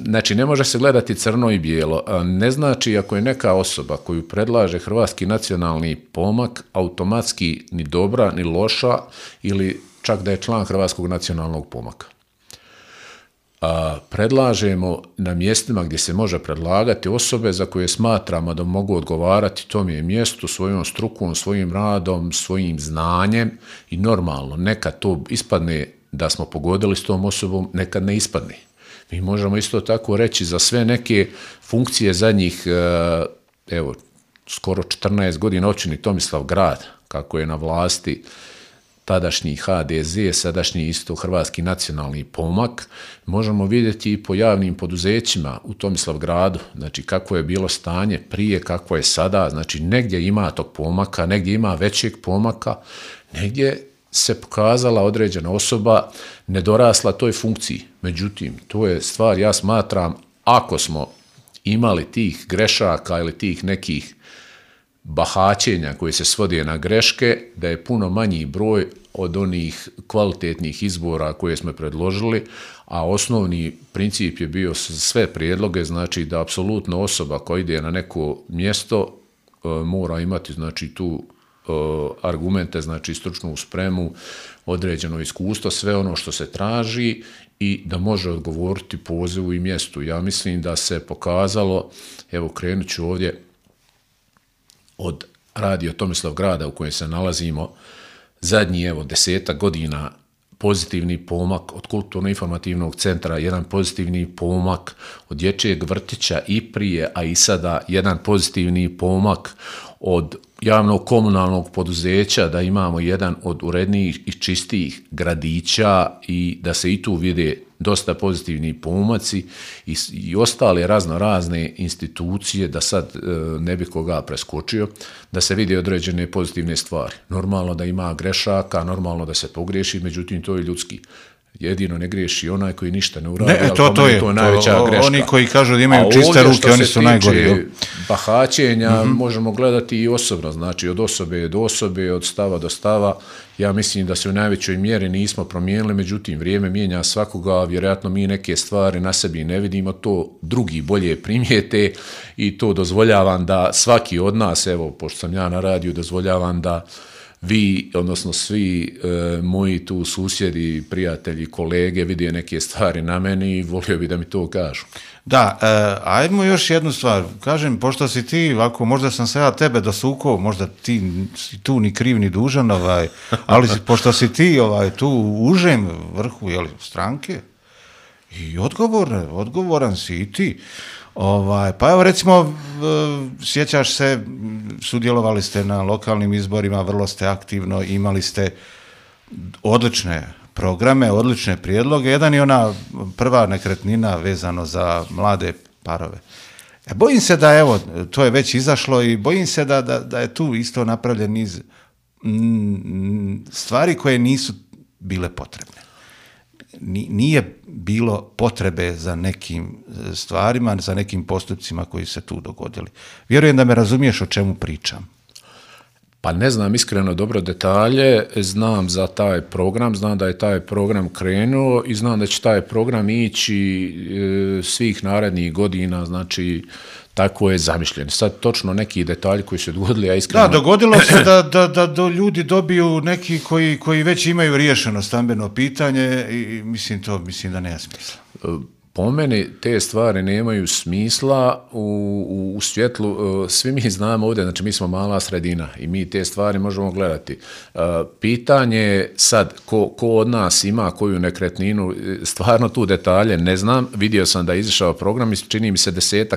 znači ne može se gledati crno i bijelo. Ne znači ako je neka osoba koju predlaže Hrvatski nacionalni pomak automatski ni dobra, ni loša, ili čak da je član Hrvatskog nacionalnog pomaka. Predlažemo na mjestima gdje se može predlagati osobe za koje smatramo da mogu odgovarati tom je mjestu, svojom strukom, svojim radom, svojim znanjem i normalno, nekad to ispadne da smo pogodili s tom osobom, nekad ne ispadne. Mi možemo isto tako reći za sve neke funkcije zadnjih, evo, skoro 14 godina općini Tomislavgrad, kako je na vlasti tadašnji HDZ, sadašnji isto Hrvatski nacionalni pomak, možemo vidjeti i po javnim poduzećima u Tomislavgradu, znači kako je bilo stanje prije, kako je sada, znači negdje ima tog pomaka, negdje ima većeg pomaka, negdje se pokazala određena osoba nedorasla toj funkciji. Međutim, to je stvar, ja smatram, ako smo imali tih grešaka ili tih nekih bahaćenja koji se svode na greške, da je puno manji broj od onih kvalitetnih izbora koje smo predložili, a osnovni princip je bio sve prijedloge, znači da apsolutno osoba koja ide na neko mjesto mora imati, znači, tu argumente, znači stručnu spremu, određeno iskustvo, sve ono što se traži i da može odgovoriti pozivu i mjestu. Ja mislim da se pokazalo, evo krenut ću ovdje od Radio Tomislavgrada u kojem se nalazimo, zadnji, evo, 10 godina pozitivni pomak od kulturno-informativnog centra, jedan pozitivni pomak od dječjeg vrtića i prije, a i sada jedan pozitivni pomak od javnog komunalnog poduzeća, da imamo jedan od urednijih i čistijih gradića i da se i tu vide dosta pozitivni pomaci i ostale razne institucije, da sad ne bi koga preskočio, da se vidi određene pozitivne stvari. Normalno da ima grešaka, normalno da se pogriješi, međutim to je ljudski. Jedino ne griješi onaj koji ništa ne uradi, ali to je najveća greška. Oni koji kažu da imaju čiste ruke, oni su najgori. Bahaćenja možemo gledati i osobno, znači od osobe do osobe, od stava do stava. Ja mislim da se u najvećoj mjeri nismo promijenili, međutim vrijeme mijenja svakoga, vjerojatno mi neke stvari na sebi ne vidimo, to drugi bolje primijete i to dozvoljavam da svaki od nas, evo, pošto sam ja na radiju, dozvoljavam da vi, odnosno svi moji tu susjedi, prijatelji, kolege vide neke stvari na meni i volio bi da mi to kažu. Da, ajmo još jednu stvar. Kažem, pošto si ti, ovako, možda sam se ja tebe dosukao, možda ti si tu ni kriv ni dužan, ali pošto si ti tu u užem vrhu stranke i odgovoran si i ti. Pa evo recimo, sjećaš se, sudjelovali ste na lokalnim izborima, vrlo ste aktivno, imali ste odlične programe, odlične prijedloge. Jedan je ona prva nekretnina vezano za mlade parove. Bojim se da, evo, to je već izašlo i bojim se da je tu isto napravljen niz stvari koje nisu bile potrebne. Nije bilo potrebe za nekim stvarima, za nekim postupcima koji se tu dogodili. Vjerujem da me razumiješ o čemu pričam. Pa ne znam iskreno dobro detalje, znam za taj program, znam da je taj program krenuo i znam da će taj program ići svih narednih godina, znači tako je zamišljen. Sad točno neki detalji koji su dogodili, ja iskreno... Da, dogodilo se da ljudi dobiju neki koji već imaju riješeno stambeno pitanje i mislim da nema smisla. Po meni te stvari nemaju smisla u svjetlu, svi mi znamo ovdje, znači mi smo mala sredina i mi te stvari možemo gledati. Pitanje je sad ko od nas ima koju nekretninu, stvarno tu detalje ne znam, vidio sam da je izašao program i čini mi se 10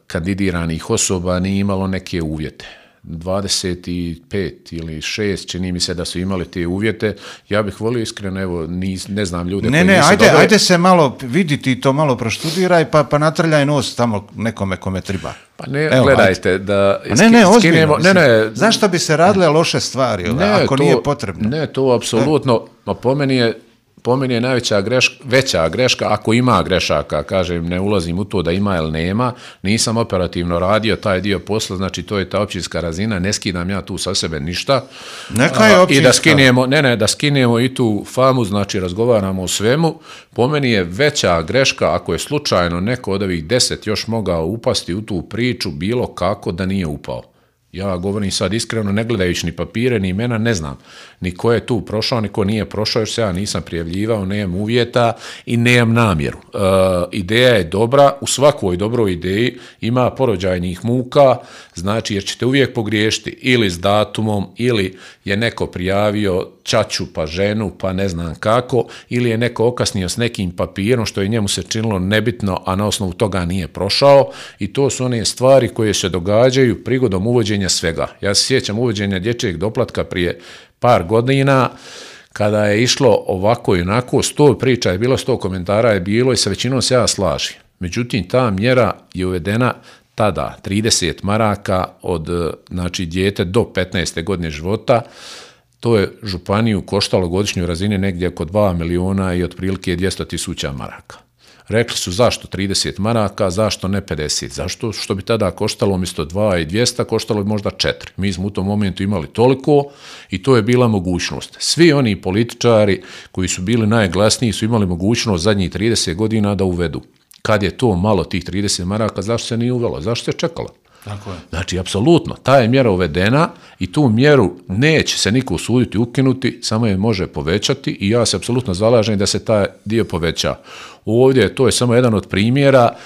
kandidiranih osoba nije imalo neke uvjete. 25 ili 6, čini mi se da su imali te uvjete. Ja bih volio iskreno, evo, ne znam ljude koji nisu dobre. Ajde se malo viditi i to malo proštudiraj, pa natrljaj nos tamo nekome kome treba. Pa ne, gledajte, da... Ozbiljno. Zašto bi se radile loše stvari, ako nije potrebno? Ne, to apsolutno, po meni je veća greška, ako ima grešaka, kažem, ne ulazim u to da ima ili nema, nisam operativno radio taj dio posla, znači to je ta općinska razina, ne skidam ja tu sa sebe ništa. Neka je općinska. I da skinemo i tu famu, znači razgovaramo o svemu, po meni je veća greška ako je slučajno neko od ovih 10 još mogao upasti u tu priču bilo kako da nije upao. Ja govorim sad iskreno, ne gledajući ni papire, ni imena, ne znam ni ko je tu prošao, ni ko nije prošao, još se ja nisam prijavljivao, nemam uvjeta i nemam namjeru. Ideja je dobra, u svakoj dobroj ideji ima porođajnih muka, znači jer ćete uvijek pogriješiti ili s datumom, ili je neko prijavio ćaću pa ženu, pa ne znam kako, ili je neko okasnio s nekim papirom što je njemu se činilo nebitno, a na osnovu toga nije prošao i to su one stvari koje se događaju prigodom uvođenja svega. Ja se sjećam uvođenja dječjeg doplatka prije par godina, kada je išlo ovako i onako, 100 priča je bilo, 100 komentara je bilo i sa većinom se ja slažem. Međutim, ta mjera je uvedena tada 30 maraka od dijete do 15. godine života. To je županiju koštalo godišnjoj razini negdje oko 2 miliona i otprilike 200.000 maraka. Rekli su zašto 30 maraka, zašto ne 50, zašto što bi tada koštalo umjesto 2 i 200, koštalo bi možda 4. Mi smo u tom momentu imali toliko i to je bila mogućnost. Svi oni političari koji su bili najglasniji su imali mogućnost zadnjih 30 godina da uvedu. Kad je to malo tih 30 maraka, zašto se nije uvelo, zašto se čekalo? Tako je. Znači, apsolutno, ta je mjera uvedena i tu mjeru neće se niko usuditi ukinuti, samo je može povećati i ja se apsolutno zalažem da se taj dio poveća. Ovdje to je samo jedan od primjera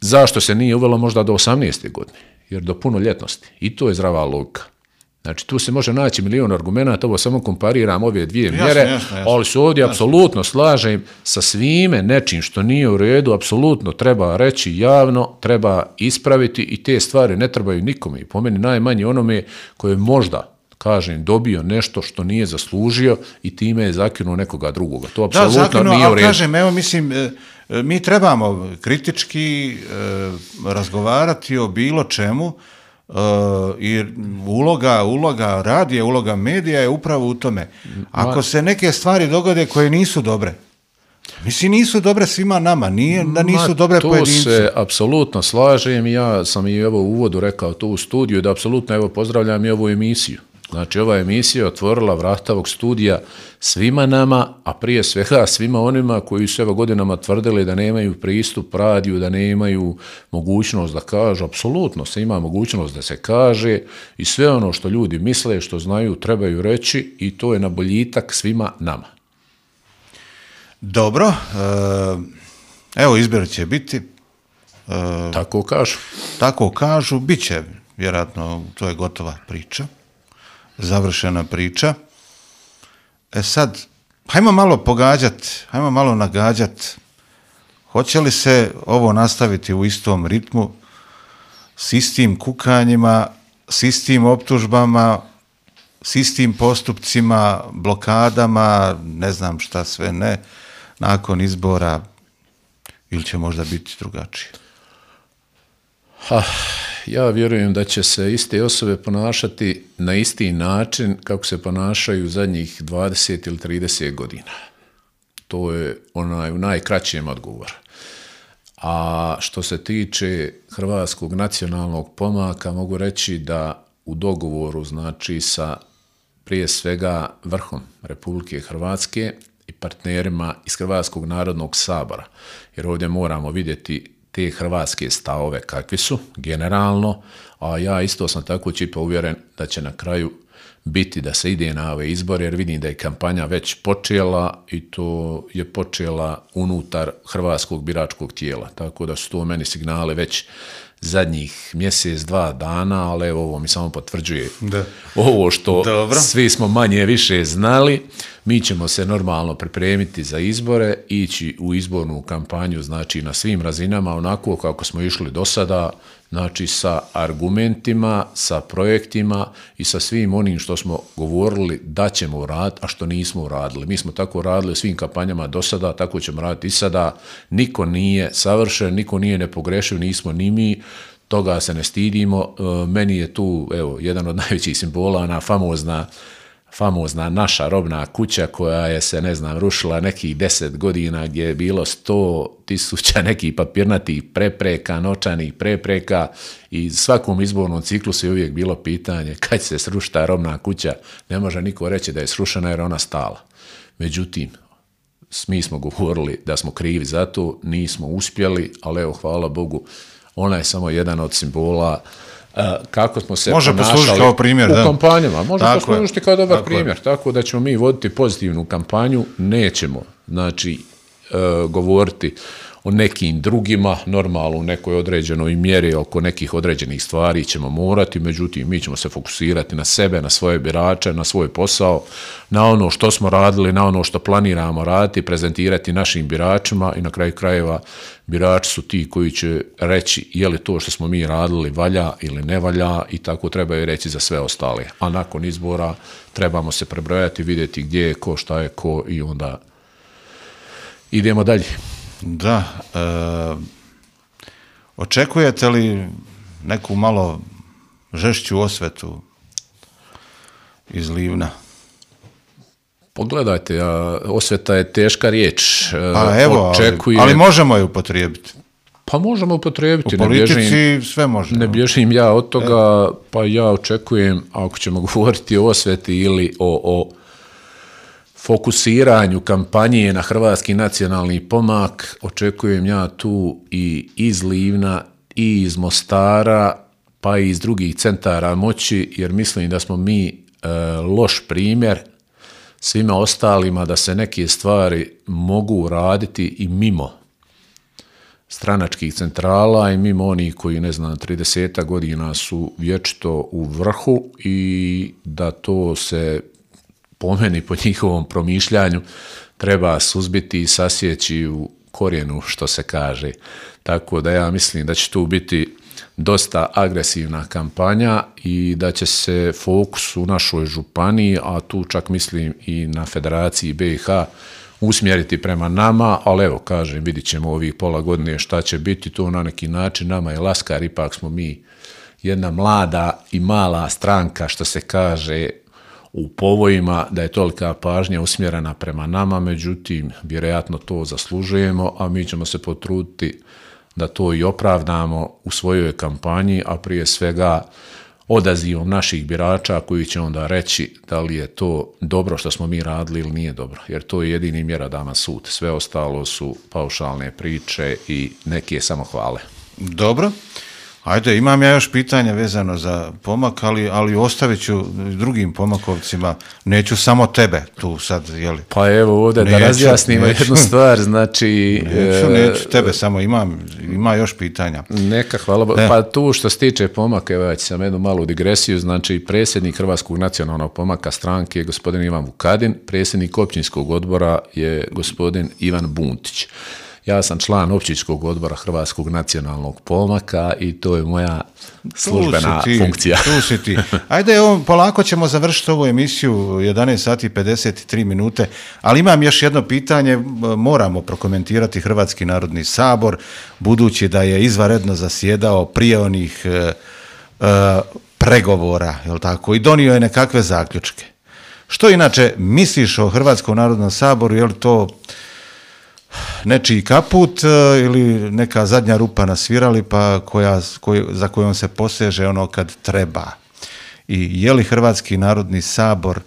zašto se nije uvelo možda do 18. godine, jer do punoljetnosti. I to je zdrava logika. Znači, tu se može naći milion argumenata, ovo samo kompariram ove dvije mjere, ali se ovdje apsolutno slažem sa svime nečim što nije u redu, apsolutno treba reći javno, treba ispraviti i te stvari ne trebaju nikome. I po meni najmanje onome koje možda kažem, dobio nešto što nije zaslužio i time je zakinuo nekoga drugoga. To Da, apsolutno nije u redu. Kažem, evo mislim, mi trebamo kritički razgovarati o bilo čemu, i uloga radija, uloga medija je upravo u tome. Ako se neke stvari dogode koje nisu dobre, mislim, nisu dobre svima nama, nije da nisu dobre pojedincu. To se apsolutno slažem, ja sam i evo u uvodu rekao to u studiju, da apsolutno evo pozdravljam i ovu emisiju. Znači, ova emisija je otvorila vrata ovog studija svima nama, a prije svega svima onima koji su evo godinama tvrdili da nemaju pristup radiju, da nemaju mogućnost da kažu. Apsolutno se ima mogućnost da se kaže i sve ono što ljudi misle, što znaju, trebaju reći i to je na boljitak svima nama. Dobro, evo izbor će biti. Tako kažu. Tako kažu, bit će, vjerojatno, to je gotova priča, završena priča. Sad, hajmo malo pogađati, hajmo malo nagađati, hoće li se ovo nastaviti u istom ritmu, s istim kukanjima, s istim optužbama, s istim postupcima, blokadama, ne znam šta sve ne, nakon izbora, ili će možda biti drugačije? Ja vjerujem da će se iste osobe ponašati na isti način kako se ponašaju zadnjih 20 ili 30 godina. To je u najkraćem odgovoru. A što se tiče Hrvatskog nacionalnog pomaka, mogu reći da u dogovoru, znači sa prije svega vrhom Republike Hrvatske i partnerima iz Hrvatskog narodnog sabora, jer ovdje moramo vidjeti te hrvatske stavove kakvi su generalno, a ja isto sam tako čipa uvjeren da će na kraju biti da se ide na ove izbore, jer vidim da je kampanja već počela i to je počela unutar hrvatskog biračkog tijela, tako da su to meni signale već zadnjih mjesec, 2 dana, ali evo ovo mi samo potvrđuje ovo što svi smo manje više znali. Mi ćemo se normalno pripremiti za izbore, ići u izbornu kampanju, znači na svim razinama, onako kako smo išli do sada, znači sa argumentima, sa projektima i sa svim onim što smo govorili da ćemo uraditi, a što nismo uradili. Mi smo tako radili u svim kampanjama do sada, tako ćemo raditi i sada. Niko nije savršen, niko nije nepogrešiv, nismo ni mi, toga se ne stidimo. Meni je tu evo, jedan od najvećih simbola, ona famozna naša robna kuća koja je se, ne znam, rušila nekih 10 godina gdje je bilo 100.000 nekih papirnatih prepreka, novčanih prepreka i svakom izbornom ciklusu je uvijek bilo pitanje kad će se srušiti ta robna kuća. Ne može niko reći da je srušena jer ona stala. Međutim, mi smo govorili da smo krivi za to, nismo uspjeli, ali evo, hvala Bogu, ona je samo jedan od simbola kako smo se ponašali kao primjer, u kampanjama. Može poslužiti kao dobar primjer. Tako da ćemo mi voditi pozitivnu kampanju, nećemo znači govoriti o nekim drugima, normalno u nekoj određenoj mjeri oko nekih određenih stvari ćemo morati, međutim mi ćemo se fokusirati na sebe, na svoje birače, na svoj posao, na ono što smo radili, na ono što planiramo raditi, prezentirati našim biračima i na kraju krajeva birači su ti koji će reći je li to što smo mi radili valja ili ne valja i tako trebaju reći za sve ostale. A nakon izbora trebamo se prebrojati, vidjeti gdje je ko, šta je ko i onda idemo dalje. Da, očekujete li neku malo žešću osvetu iz Livna? Pogledajte, osveta je teška riječ. Evo, ali možemo je upotrijebiti. Pa možemo upotrijebiti. U politici sve može. Ne bježim ja od toga, pa ja očekujem, ako ćemo govoriti o osveti ili o fokusiranju kampanje na Hrvatski nacionalni pomak, očekujem ja tu i iz Livna i iz Mostara, pa i iz drugih centara moći, jer mislim da smo mi loš primjer svima ostalima da se neke stvari mogu raditi i mimo stranačkih centrala i mimo onih koji, ne znam, 30 godina su vječito u vrhu i da to se po meni, po njihovom promišljanju, treba suzbiti i sasjeći u korijenu, što se kaže. Tako da ja mislim da će tu biti dosta agresivna kampanja i da će se fokus u našoj županiji, a tu čak mislim i na Federaciji BiH, usmjeriti prema nama, ali evo, kažem, vidit ćemo ovih pola godine šta će biti, to na neki način nama je laskar, ipak smo mi jedna mlada i mala stranka, što se kaže u povojima, da je tolika pažnja usmjerena prema nama, međutim, vjerojatno to zaslužujemo, a mi ćemo se potruditi da to i opravdamo u svojoj kampanji, a prije svega odazivom naših birača koji će onda reći da li je to dobro što smo mi radili ili nije dobro, jer to je jedini mjerodavan sud. Sve ostalo su paušalne priče i neke samohvale. Dobro. Ajde, imam ja još pitanja vezano za pomak, ali ostavit ću drugim pomakovcima, neću samo tebe tu sad, jeli? Pa evo ovdje da razjasnimo jednu stvar, znači... Neću tebe, samo ima još pitanja. Neka, hvala. Pa tu što se tiče pomaka, evo ja ću sam jednu malu digresiju, znači predsjednik Hrvatskog nacionalnog pomaka stranke je gospodin Ivan Vukadin, predsjednik općinskog odbora je gospodin Ivan Buntić. Ja sam član općinskog odbora Hrvatskog nacionalnog pomaka i to je moja službena funkcija. Tu si ti. Ajde, polako ćemo završiti ovu emisiju, 11 sati i 53 minute, ali imam još jedno pitanje, moramo prokomentirati Hrvatski narodni sabor, budući da je izvanredno zasjedao prije onih pregovora, jel tako, i donio je nekakve zaključke. Što inače misliš o Hrvatskom narodnom saboru, je li to nečiji kaput ili neka zadnja rupa na svirali pa za kojom se poseže ono kad treba? I je li Hrvatski narodni sabor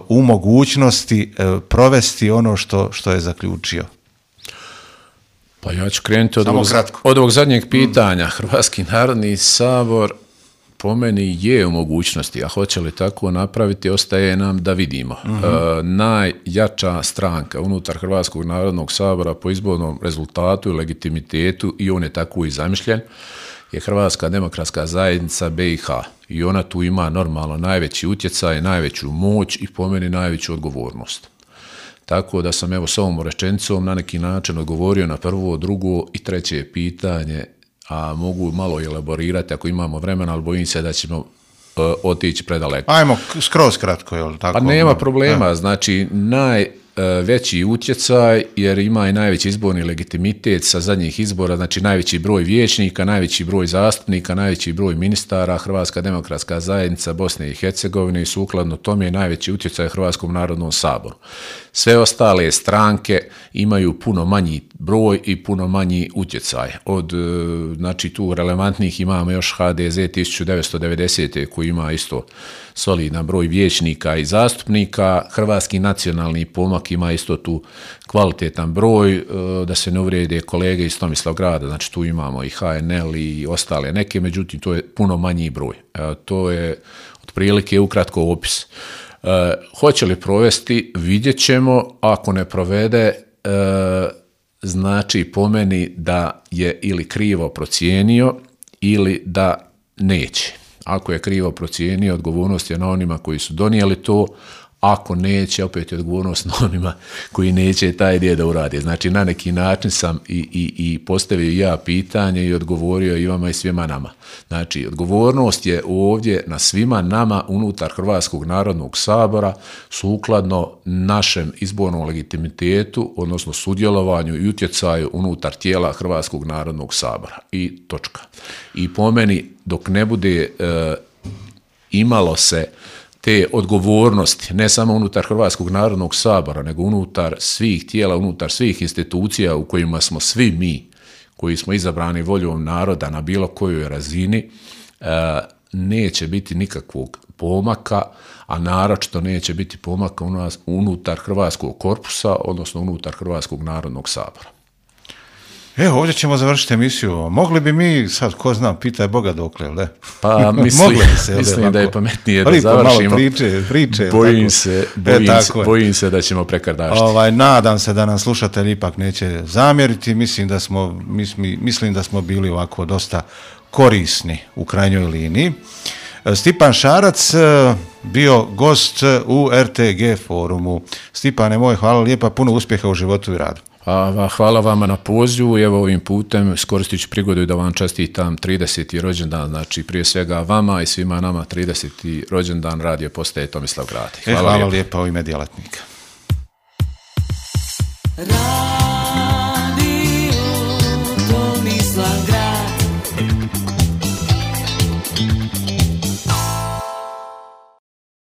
u mogućnosti provesti ono što je zaključio? Pa ja ću krenuti od ovog zadnjeg pitanja. Hrvatski narodni sabor po meni je u mogućnosti, a hoće li tako napraviti, ostaje nam da vidimo. Najjača stranka unutar Hrvatskog narodnog sabora po izbornom rezultatu i legitimitetu, i on je tako i zamišljen, je Hrvatska demokratska zajednica BiH. I ona tu ima normalno najveći utjecaj, najveću moć i po meni najveću odgovornost. Tako da sam evo s ovom rečenicom na neki način odgovorio na prvo, drugo i treće pitanje, a mogu malo elaborirati ako imamo vremena, ali bojim se da ćemo otići predaleko. Ajmo skroz kratko, je li tako? Pa nema problema, znači najveći utjecaj, jer ima i najveći izborni legitimitet sa zadnjih izbora, znači najveći broj vijećnika, najveći broj zastupnika, najveći broj ministara, Hrvatska demokratska zajednica Bosne i Hercegovine i sukladno tome je najveći utjecaj Hrvatskom narodnom saboru. Sve ostale stranke imaju puno manji broj i puno manji utjecaj. Od, znači tu relevantnih imamo još HDZ 1990. koji ima isto solidan broj vijećnika i zastupnika, Hrvatski nacionalni pomak ima isto tu kvalitetan broj, da se ne uvrijede kolege iz Tomislavgrada, znači tu imamo i HNL i ostale neke, međutim to je puno manji broj. To je otprilike ukratko opis. Hoće li provesti, vidjet ćemo, ako ne provede, znači po meni da je ili krivo procijenio ili da neće. Ako je krivo procijenio, odgovornost je na onima koji su donijeli to, ako neće, opet je odgovornost na onima koji neće taj dio da uradi. Znači na neki način sam i postavio ja pitanje i odgovorio i vama i svima nama. Znači odgovornost je ovdje na svima nama unutar Hrvatskog narodnog sabora sukladno našem izbornom legitimitetu, odnosno sudjelovanju i utjecaju unutar tijela Hrvatskog narodnog sabora. I točka. I po meni dok ne bude imalo se te odgovornosti, ne samo unutar Hrvatskog narodnog sabora, nego unutar svih tijela, unutar svih institucija u kojima smo svi mi, koji smo izabrani voljom naroda na bilo kojoj razini, neće biti nikakvog pomaka, a naročito neće biti pomaka unutar Hrvatskog korpusa, odnosno unutar Hrvatskog narodnog sabora. Evo, ovdje ćemo završiti emisiju. Mogli bi mi, sad ko zna, pitaj Boga dokle, ne? Pa mislim da je pametnije da završimo. Priče. Bojim se da ćemo prekardašiti. Nadam se da nam slušatelji ipak neće zamjeriti. Mislim da smo bili ovako dosta korisni u krajnjoj liniji. Stipan Šarac bio gost u RTG forumu. Stipane moj, hvala lijepa, puno uspjeha u životu i radu. Hvala vama na pozivu i evo ovim putem iskoristit ću prigodu da vam čestitam 30. rođendan, znači prije svega vama i svima nama 30. rođendan radio postaje Tomislav Gradić. Hvala lijepa u ime djelatnika.